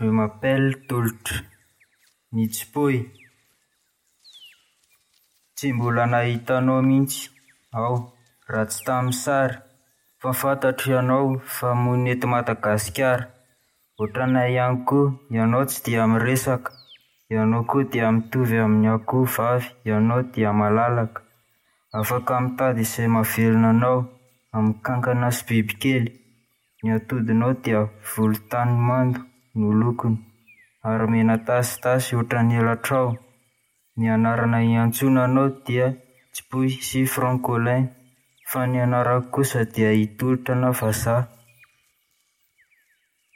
Je m'appelle Tolotra. Ny Tsipoy. Tsy mbola nahita anao mihitsy aho raha tsy tamin'ny sary, fa fantatro ianao fa monina eto Madagasikara. Ohatranay ihany koa, ianao tsy dia miresaka, ianao koa dia mitovy amin'ny akoho vavy, ianao dia malalaka. Afaka mitady izay mahavelona anao amin'ny kankana sy bibikely. Ny atodinao dia volontany mando no lokony ary mena tasitasy ohatran'ny elatrao. Ny anarana iantsoana anao dia Tsipoy sy Francolin fa ny anarako kosa dia i Tolotra na Vazaha.